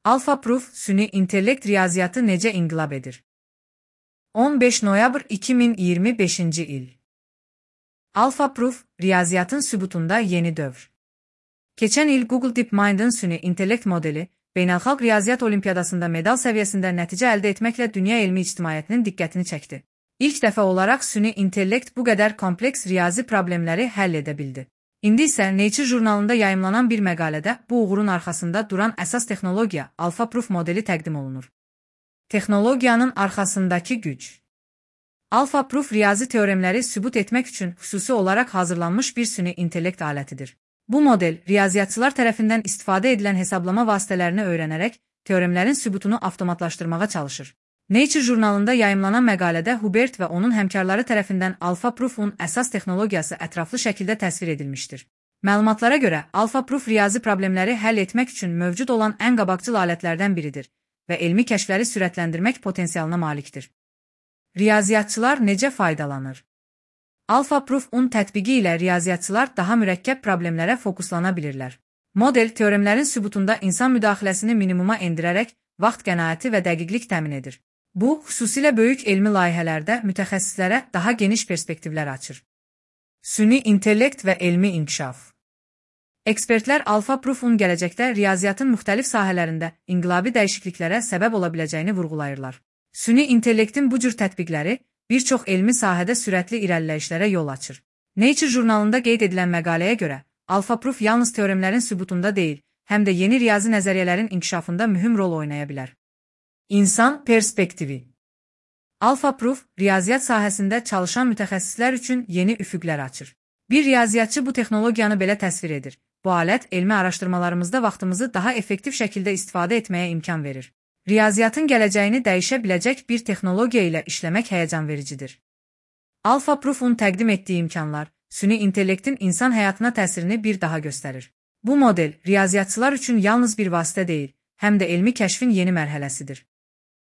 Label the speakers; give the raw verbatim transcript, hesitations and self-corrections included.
Speaker 1: AlphaProof, süni intellekt riyaziyyatı necə inqilab edir? on beş noyabr iki min iyirmi beşinci il. AlphaProof, riyaziyyatın sübutunda yeni dövr. Keçən il Google DeepMind'ın süni intellekt modeli, beynəlxalq riyaziyyat olimpiyadasında medal səviyyəsində nəticə əldə etməklə dünya elmi ictimaiyyətinin diqqətini çəkdi. İlk dəfə olaraq süni intellekt bu qədər kompleks riyazi problemləri həll edə bildi. İndi isə Nature jurnalında yayımlanan bir məqalədə bu uğurun arxasında duran əsas texnologiya AlphaProof modeli təqdim olunur. Texnologiyanın arxasındakı güc. AlphaProof riyazi teoremləri sübut etmək üçün xüsusi olaraq hazırlanmış bir süni intellekt alətidir. Bu model, riyaziyyatçılar tərəfindən istifadə edilən hesablama vasitələrini öyrənərək, teoremlərin sübutunu avtomatlaşdırmağa çalışır. Nature jurnalında yayımlanan məqalədə Hubert və onun həmkarları tərəfindən AlphaProof'un əsas texnologiyası ətraflı şəkildə təsvir edilmişdir. Məlumatlara görə, AlphaProof riyazi problemləri həll etmək üçün mövcud olan ən qabaqcıl alətlərdən biridir və elmi kəşfləri sürətləndirmək potensialına malikdir. Riyaziyyatçılar necə faydalanır? AlphaProof-un tətbiqi ilə riyaziyyatçılar daha mürəkkəb problemlərə fokuslana bilirlər. Model, teoremlərin sübutunda insan müdaxiləsini minimuma endirərək vaxt qənaəti və dəqiqlik təmin edir. Bu, xüsusilə böyük elmi layihələrdə mütəxəssislərə daha geniş perspektivlər açır. Süni intellekt və elmi inkişaf. Ekspertlər AlphaProof-un gələcəkdə riyaziyyatın müxtəlif sahələrində inqilabi dəyişikliklərə səbəb ola biləcəyini vurğulayırlar. Süni intellektin bu cür tətbiqləri bir çox elmi sahədə sürətli irəliləyişlərə yol açır. Nature jurnalında qeyd edilən məqaləyə görə, AlphaProof yalnız teoremlərin sübutunda deyil, həm də yeni riyazi nəzəriyyələrin inkişafında mühüm rol oynaya bilər. İnsan perspektivi. AlphaProof, riyaziyyat sahəsində çalışan mütəxəssislər üçün yeni üfüqlər açır. Bir riyaziyyatçı bu texnologiyanı belə təsvir edir. Bu alət, elmi araşdırmalarımızda vaxtımızı daha effektiv şəkildə istifadə etməyə imkan verir. Riyaziyyatın gələcəyini dəyişə biləcək bir texnologiya ilə işləmək həyəcan vericidir. AlphaProof-un təqdim etdiyi imkanlar, süni intellektin insan həyatına təsirini bir daha göstərir. Bu model, riyaziyyatçılar üçün yalnız bir vasitə deyil, həm də elmi kəşfin yeni mərhələsidir.